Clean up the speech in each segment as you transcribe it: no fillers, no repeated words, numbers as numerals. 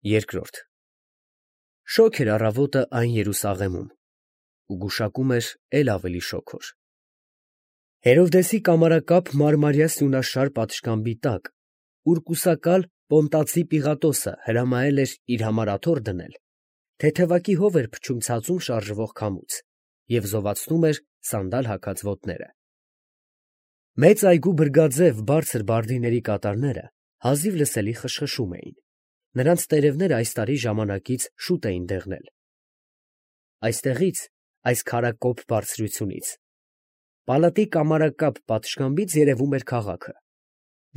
Երկրորդ Շոգ էր առավոտը այն Երուսաղեմում, ու գուշակում էր էլ ավելի շոգոր։ Հերովդեսի կամարակապ մարմարյա սյունաշար պատշգամբի տակ, ուր կուսակալ Պոնտացի Պիղատոսը հրամայել էր իր համար աթոռ դնել, թեթևակի հով էր փչում ցածում շարժվող քամուց և զովացնում էր սանդալ հագած ոտները։ Մեծ այգու բրգաձև բարձր բարդիների կատարները հազիվ լսելի խշխշում էին, նրանց տերևները այս տարի ժամանակից շուտ էին դեղնել։ Այստեղից, այս քարակոպ բարձրությունից, պալատի կամարակապ պատշգամբից երևում էր քաղաքը,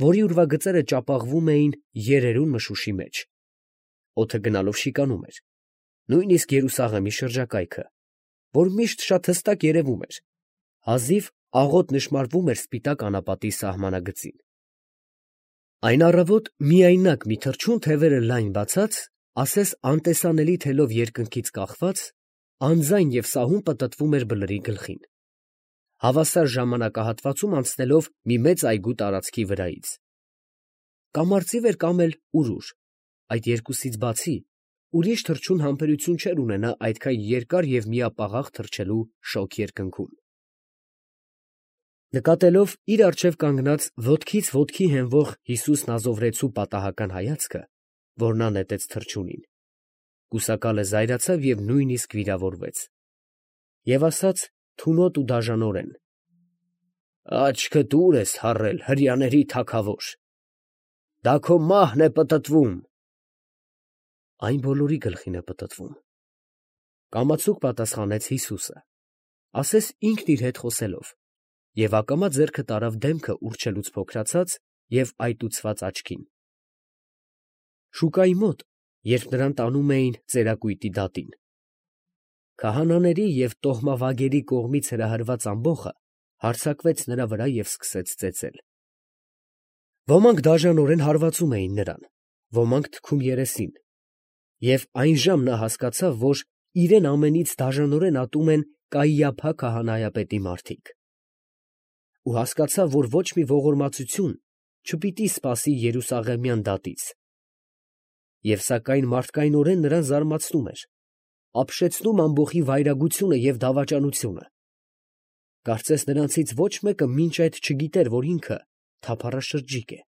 որի ուրվագծերը ճապաղվում էին երերուն մշուշի մեջ։ Օդը գնալով շիկանում էր, նույնիսկ Երուսաղեմի շրջակայքը, որ միշտ շատ հստակ երևում էր, հազիվ աղոտ նշմարվում էր սպիտակ անապատի սահմանագծին։ Այն առավոտ միայնակ մի թռչուն թևերը լայն բացած, ասես անտեսանելի թելով երկնքից կախված, անձայն և սահուն պտտվում էր բլրի գլխին, հավասար ժամանակահատվածում անցնելով մի մեծ այգու տարածքի վրայից։ Կամ արծիվ էր, կամ էլ урուր, այդ երկուսից բացի ուրիշ թռչուն համբերություն չէր ունենա այդքան երկար և միապաղաղ թռչելու շոգ երկնքում։ Նկատելով իր առջև կանգնած ոտքից ոտքի հենվող Հիսուս Նազովրեցու պատահական հայացքը, որ նա նետեց թռչունին, կուսակալը զայրացավ և նույնիսկ վիրավորվեց, և ասաց թունոտ ու դաժանորեն. «Աչքդ ո՞ւր ես թառել, հրեաների թագավոր. դա քո մահն է պտտվում»։ Այն բոլորի գլխին է պտտվում, կամացուկ պատասխանեց Հիսուսը, ասես ինքն իր հետ խոսելով, և ակամա ձեռքը տարավ դեմքը ուռչելուց փոքրացած և այտուցված աչքին։ Շուկայի մոտ, երբ նրան տանում էին ծերակույտի դատին, քահանաների և տոհմավագերի կողմից հրահրված ամբոխը հարձակվեց նրա վրա և սկսեց ծեծել։ Ոմանք դաժանորեն հարվածում էին նրան, ոմանք թքում երեսին, և այնժամ նա հասկացավ, որ իրեն ամենից դաժանորեն ատում են Կայիափա քահանայապետի մարդիկ, ու հասկացավ, որ ոչ մի ողորմածություն չպիտի սպասի երուսաղեմյան դատից, և սակայն մարդկայնորեն նրան զարմացնում էր, ապշեցնում ամբոխի վայրագությունը և դավաճանությունը, կարծես նրանցից ոչ մեկը մինչ այդ չգիտեր, որ ինքը թափառաշրջիկ է,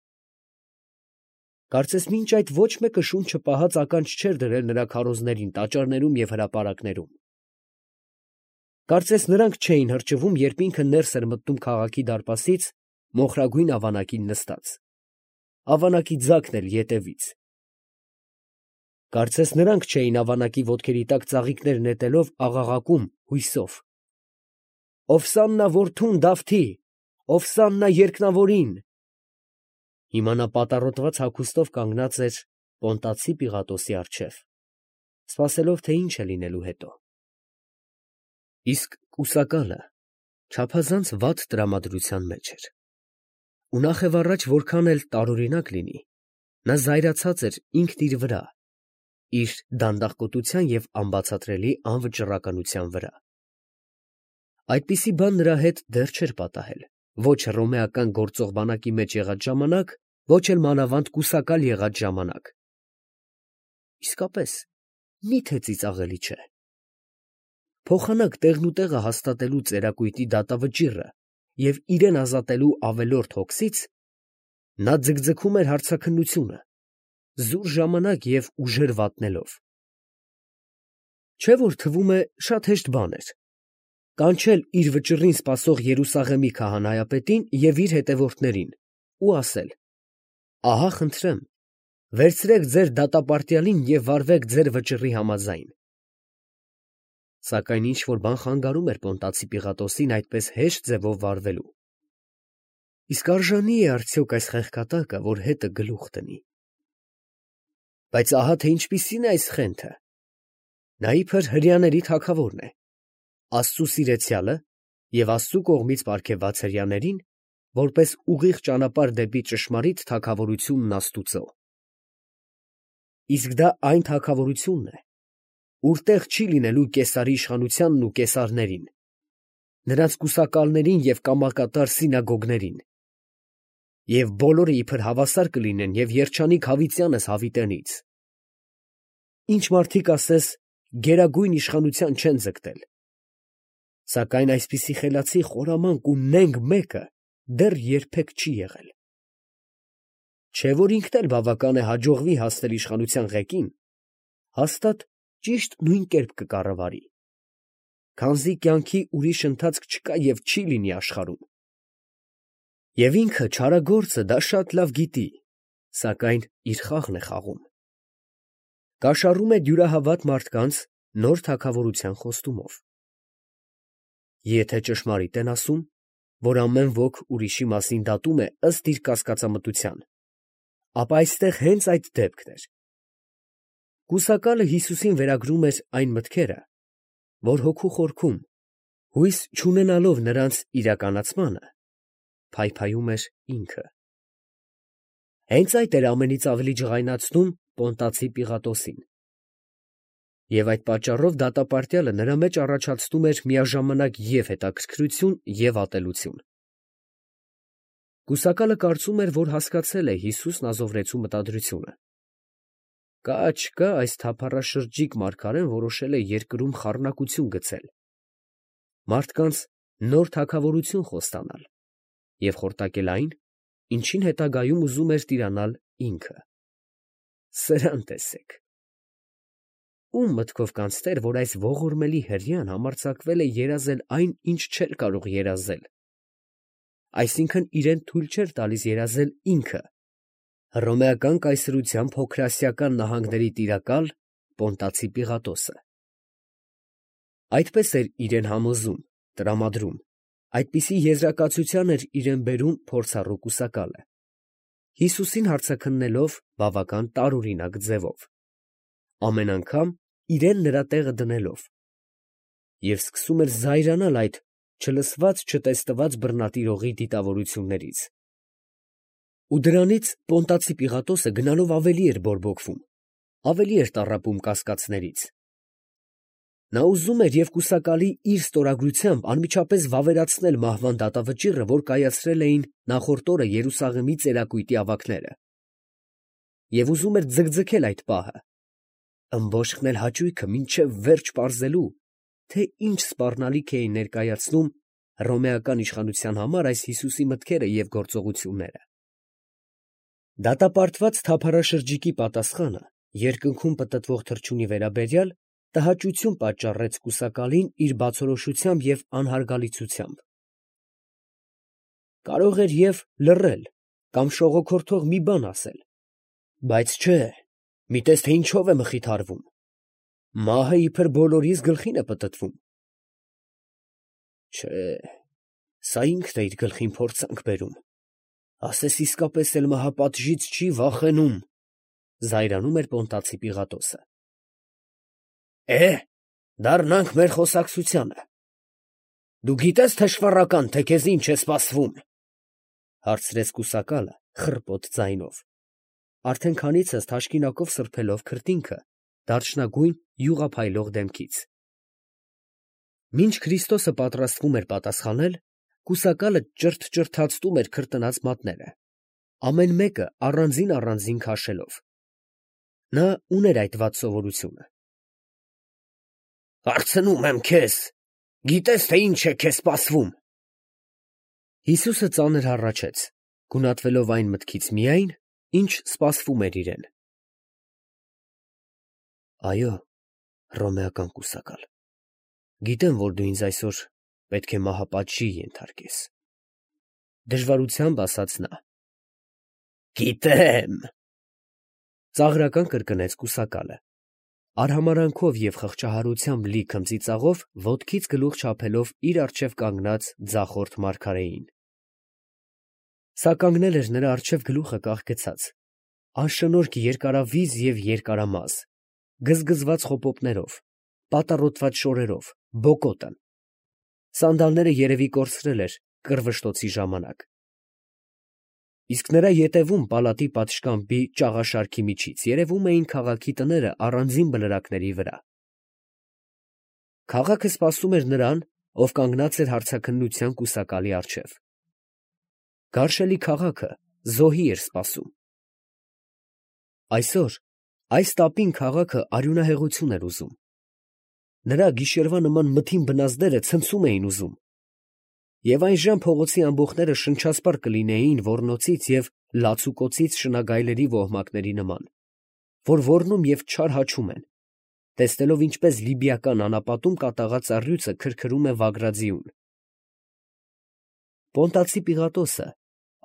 կարծես մինչ այդ ոչ մեկը շունչը պահած ականջ չէր դրել նրա քարոզներին, տաճարներում և հրապարակներում, կարծես նրանք չէին հրճվում, երբ ինքը ներս էր մտնում քաղաքի դարպասից մոխրագույն ավանակին նստած, ավանակի ձագն էլ ետևից, կարծես նրանք չէին ավանակի ոտքերի տակ ծաղիկներ նետելով աղաղակում հույսով. «Ովսաննա որդուն Դավթի, ովսաննա երկնավորին»։ Հիմա նա պատառոտված հագուստով կանգնած էր Պոնտացի Պիղատոսի առջև, սպասելով, թե ինչ է լինելու հետո։ Իսկ կուսակալը չափազանց վատ տրամադրության մեջ էր, ու նախևառաջ որքան էլ տարօրինակ լինի, նա զայրացած էր ինքն իր վրա, իր դանդաղկոտության և անբացատրելի անվճռականության վրա։ Այդպիսի բան նրա հետ դեռ չէր պատահել ոչ հռոմեական գործող բանակի մեջ եղած ժամանակ, ոչ էլ մանավանդ կուսակալ եղած ժամանակ։ Իսկապես, մի՞թե ծիծաղելի չէ։ Փոխանակ տեղնուտեղը հաստատելու ծերակույտի դատավճիռը և իրեն ազատելու ավելորդ հոգսից, նա ձգձգում էր հարցաքննությունը, զուր ժամանակ և ուժեր վատնելով։ Չէ՞ որ թվում է շատ հեշտ բան էր կանչել իր վճռին սպասող Երուսաղեմի քահանայապետին և իր հետևորդներին ու ասել. «Ահա խնդրեմ, վերցրեք ձեր դատապարտյալին և վարվեք ձեր վճռի համաձայն»։ Սակայն ինչ֊որ բան խանգարում էր Պոնտացի Պիղատոսին այդպես հեշտ ձևով վարվելու։ Իսկ արժանի՞ է արդյոք այս խեղկատակը, որ հետը գլուխ դնի։ Բայց ահա թե ինչպիսին է այս խենթը. նա իբր հրեաների թագավորն է, Աստծու սիրեցյալը և Աստծու կողմից պարգևված հրեաներին, որպես ուղիղ ճանապարհ դեպի ճշմարիտ թագավորությունն աստուծո։ Իսկ դա այն թագավորությունն է, ուր տեղ չի լինելու Կեսարի իշխանությանն ու կեսարներին, նրանց կուսակալներին և կամակատար սինագոգներին, և բոլորը իբր հավասար կլինեն և երջանիկ հավիտյանս հավիտենից։ ինչ մարդիկ ասես գերագույն իշխանության չեն ձգտել, սակայն այսպիսի խելացի, խորամանկ ու նենգ մեկը դեռ երբեք չի եղել։ Չէ՞ որ ինքն էլ բավական է հաջողվի հասնել իշխանության ղեկին, հաստատ ճիշտ նույն կերպ կկառավարի, քանզի կյանքի ուրիշ ընթացք չկա և չի լինի աշխարհում։ Եվ ինքը չարագործը դա շատ լավ գիտի, սակայն իր խաղն է խաղում։ Կաշառում է դյուրահավատ մարդկանց նոր թագավորության խոստումով։ Եթե ճշմարիտ են ասում, որ ամեն ոք ուրիշի մասին դատում է ըստ իր կասկածամտության, ապա այստեղ հենց այդ դեպքն էր։ Կուսակալը Հիսուսին վերագրում էր այն մտքերը, որ հոգու խորքում, հույս չունենալով նրանց իրականացմանը, փայփայում էր ինքը։ Հենց այդ էր ամենից ավելի ջղայնացնում Պոնտացի Պիղատոսին։ Եվ այդ պատճառով դատապարտյալը նրա մեջ առաջացնում էր միաժամանակ և հետաքրքրություն և ատելություն։ Կուսակալը կարծում էր, որ հասկացել է Հիսուս Նազովրեցու մտադրությունը։ Կա չկա այս թափառաշրջիկ մարգարեն որոշել է երկրում խառնակություն գցել, մարդկանց նոր թագավորություն խոստանալ և խորտակել այն, ինչին հետագայում ուզում էր տիրանալ ինքը։ Սրան տեսեք։ Ո՞ւմ մտքով կանցներ, որ այս ողորմելի հրեան համարձակվել է երազել այն, ինչ չէր կարող երազել, այսինքն իրան թույլ չէր տալիս երազել ինքը, հռոմեական կայսրության փոքրասիական նահանգների տիրակալ Պոնտացի Պիղատոսը։ Այդպես էր իրան համոզում, տրամադրում, այդպիսի եզրակացության էր իրան բերում փորձառու կուսակալը, Հիսուսին հարցաքննելով բավական տարօրինակ ձևով, ամեն անգամ իրան նրա տեղը դնելով, և սկսում էր զայրանալ այդ չլսված չտեսնված բռնատիրողի դիտավորություններից։ Ու դրանից Պոնտացի Պիղատոսը գնալով ավելի էր բորբոքվում, ավելի էր տառապում կասկածներից։ Նա ուզում էր և կուսակալի իր ստորագրությամբ անմիջապես վավերացնել մահվան դատավճիռը, որ կայացրել էին նախորդ օրը Երուսաղեմի ծերակույտի ավագները, և ուզում էր ձգձգել այդ պահը, ըմբոշխնել հաճույքը մինչև վերջ պարզելու, թե ինչ սպառնալիք էին ներկայացնում հռոմեական իշխանության համար այս Հիսուսի մտքերը և գործողությունները։ Դատապարտված թափառաշրջիկի պատասխանը երկնքում պտտվող թռչունի վերաբերյալ տհաճություն պատճառեց կուսակալին իր բացորոշությամբ և անհարգալիցությամբ։ Կարող էր և լռել կամ շողոքորթող մի բան ասել, բայց չէ, մի տես թե ինչով է մխիթարվում, մահը իբր բոլորիս գլխին է պտտվում։ Չէ, սա ինքն է իր գլխին փորձանք բերում, ասես իսկապես էլ մահապատժից չի վախենում, զայրանում էր Պոնտացի Պիղատոսը։ Դառնանք մեր խոսակցությանը։ Դու գիտե՞ս, թշվառական, թե քեզ ինչ է սպասվում, հարցրեց կուսակալը խռպոտ ձայնով, արդեն քանիցս թաշկինակով սրբելով քրտինքը դարչնագույն յուղափայլող դեմքից։ Մինչ Քրիստոսը պատրաստվում էր պատասխանել, կուսակալը ճրթճրթացնում էր քրտնած մատները, ամեն մեկը առանձին քաշելով։ Նա ուներ այդ վատ սովորությունը։ Հարցնում եմ քեզ, գիտե՞ս, թե ինչ է քեզ սպասվում։ Հիսուսը ծանր հառաչեց, գունատվելով այն մտքից միայն, ինչ սպասվում էր իրեն։ Այո, հռոմեական կուսակալ, գիտեմ, որ դու ինձ այսօր պետք է մահապատժի ենթարկես, դժվարությամբ ասաց նա։ Գիտեմ, ծաղրական կրկնեց կուսակալը, արհամարանքով և խղճահարությամբ լի քմծիծաղով ոտքից գլուխ չափելով իր առջև կանգնած ձախորդ մարգարեին։ Սա կանգնել էր նրա առջև գլուխը կախ գցած, անշնորհք երկարավիզ և երկարամազ, գզգզված խոպոպներով, պատառոտված շորերով, բոկոտը, սանդալները երևի կորցրել էր կռվշտոցի ժամանակ, իսկ նրա ետևում պալատի պատշգամբի ճաղաշարքի միջից երևում էին քաղաքի տները առանձին բլրակների վրա։ Քաղաքը սպասում էր նրան, ով կանգնած էր հարցաքննության կուսակալի առջև։ Գարշելի քաղաքը զոհի էր սպասում։ Այսօր Այս տապին քաղաքը արյունահեղություն էր ուզում։ Նրա գիշերվա նման մթին բնազդերը ցնցում էին ուզում։ Եվ այնժամ փողոցի ամբոխները շնչասպառ կլինեին ոռնոցից և լացուկոցից շնագայլերի ոհմակների նման, որ ոռնում և չար հաչում են, տեսնելով ինչպես լիբիական անապատում կատաղած առյուծը քրքրում է վագրաձիուն։ Պոնտացի Պիղատոսը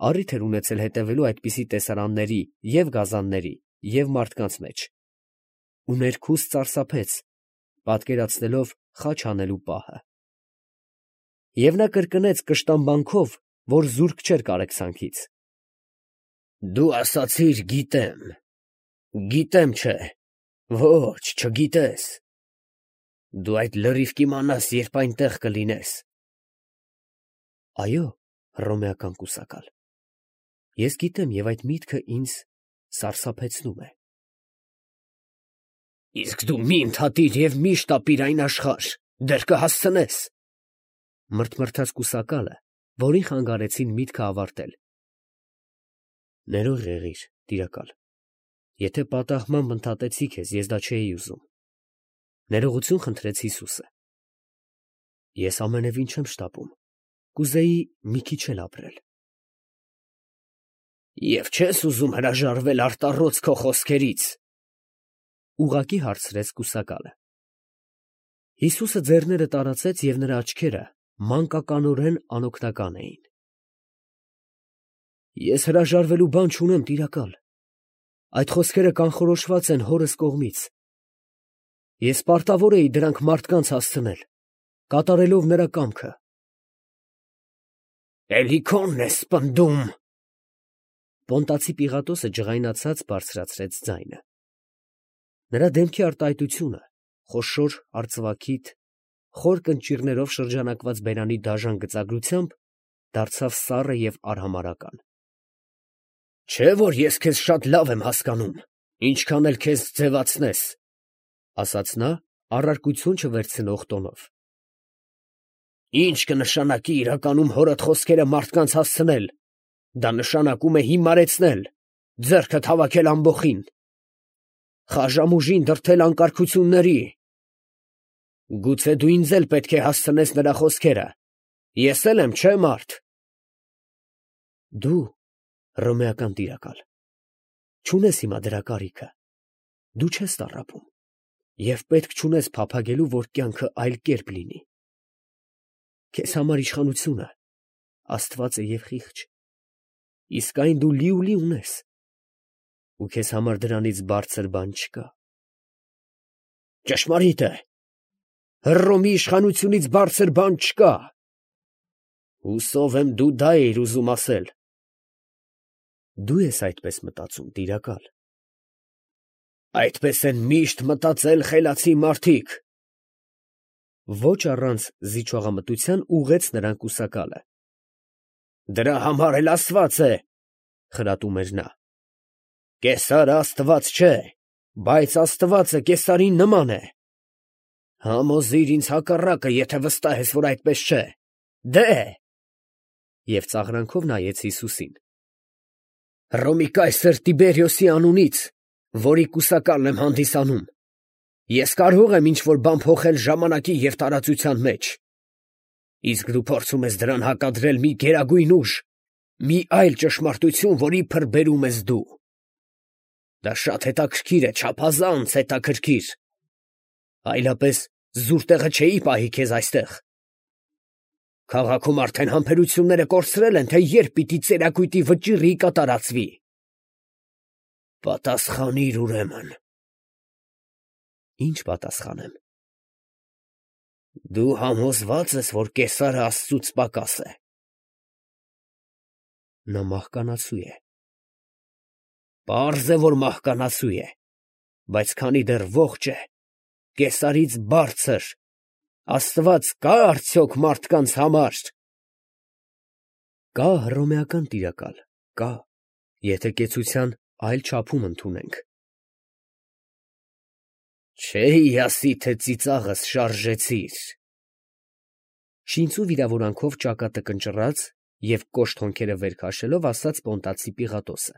առիթ էր ունեցել հետևելու այդպիսի տեսարանների և գազանների և մարդկանց մեջ, ու ներքուստ սարսափեց, պատկերացնելով խաչ անելու պահը։ Եվ նա կրկնեց կշտամբանքով, որ զուրկ չէր կարեկցանքից. «Դու ասացիր գիտեմ, գիտեմ չէ, ոչ չգիտես, դու այդ լրիվ կիմանաս, երբ այնտեղ կլինես»։ Այո, հռոմեական կուսակալ, ես գիտեմ և այդ միտքը ինձ սարսափեցնում է։ Իսկ դու մի ընդհատիր և մի շտապիր այն աշխարհ, դեռ կհասցնես, մրթմրթաց կուսակալը, որին խանգարեցին միտքը ավարտել։ Ներող եղիր, տիրակալ, եթե պատահմամբ ընդհատեցի քեզ, ես դա չէի ուզում։ Ներողություն խնդրեց Հիսուսը։ Ես ամենևին չեմ շտապում, կուզեի մի քիչ էլ ապրել։ Եվ չես ուզում հրաժարվել արտառոց քո խոսքերից, ուղղակի հարցրեց կուսակալը։ Հիսուսը ձեռները տարածեց և նրա աչքերը մանկականորեն անօգնական էին։ Ես հրաժարվելու բան չունեմ, տիրակալ, այդ խոսքերը կանխորոշված են հորս կողմից։ Ես պարտավոր էի դրանք մարդկանց հասցնել, կատարելով նրա կամքը։ Էլի քոնն ես պնդում։ Պոնտացի Պիղատոսը ջղայնացած բարձրացրեց ձայնը։ Նրա դեմքի արտահայտությունը, խոշոր արծվաքիթ, խոր կնճիռներով շրջանակված բերանի դաժան գծագրությամբ, դարձավ սառը և արհամարհական։ Չէ՞ որ ես քեզ շատ լավ եմ հասկանում, ինչքան էլ քեզ ձևացնես, ասաց նա առարկություն չվերցնող տոնով։ Ինչ կնշանակի իրականում հորդ խոսքերը մարդկանց հասցնել, դա նշանակում է հիմարեցնել, ձեռքդ հավաքել ամբոխին, խաժամուժին դրդել անկարգությունների։ Գուցե դու ինձ էլ պետք է հասցնես նրա խոսքերը, ես էլ եմ, չէ՞ մարդ։ Դու, հռոմեական տիրակալ, չունես հիմա դրա կարիքը, դու չես տառապում և պետք չունես փափագելու, որ կյանքը այլ կերպ լինի։ Քեզ համար իշխանությունը աստված է և խիղճ, իսկ այն դու լիուլի ունես, ու քեզ համար դրանից բարձր բան չկա։ Ճշմարիտ է, Հռոմի իշխանությունից բարձր բան չկա։ Հուսով եմ դու դա էիր ուզում ասել։ Դու ես այդպես մտածում, տիրակալ։ Այդպես են միշտ մտածել խելացի մարդիկ։ Ոչ առանց զիջողամտության ուղղեց նրան կուսակալը։ Դրա համար էլ ասված է, խրատում էր նա. Կեսարը աստված չէ, բայց աստվածը կեսարին նման է։ Համոզիր ինձ հակառակը, եթե վստահ ես, որ այդպես չէ։ Դե՛։ Եվ ծաղրանքով նայեց Հիսուսին։ Հռոմի կայսր Տիբերիոսի անունից, որի կուսակալն եմ հանդիսանում, ես կարող եմ ինչ-որ բան փոխել ժամանակի և տարածության մեջ։ Իսկ դու փորձում ես դրան հակադրել մի գերագույն ուժ, մի այլ ճշմարտություն, որ իբր բերում ես դու։ Դա շատ հետաքրքիր է, չափազանց հետաքրքիր։ Այլապես զուր տեղը չէի պահի քեզ այստեղ։ Քաղաքում արդեն համբերությունները կորցրել են, թե երբ պիտի ծերակույտի վճիռի կատարածվի։ Պատասխանիր ուրեմն։ Ինչ պատասխանեմ։ Դու համոզվա՞ծ ես, որ կեսարը աստծուց պակաս է։ Նա մահկանացու է։ Պարզ է, որ մահկանացու է, բայց քանի դեռ ողջ է, կեսարից բարձր, աստված կա՞ արդյոք մարդկանց համար։ Կա, հռոմեական տիրակալ, կա, եթե կեցության այլ չափում ընդունենք։ Չէի ասի, թե ծիծաղս շարժեցիր։ Շինծու վիրավորանքով ճակատը կնճռած և կոշտ հոնքերը վեր քաշելով ասաց Պոնտացի Պիղատոսը։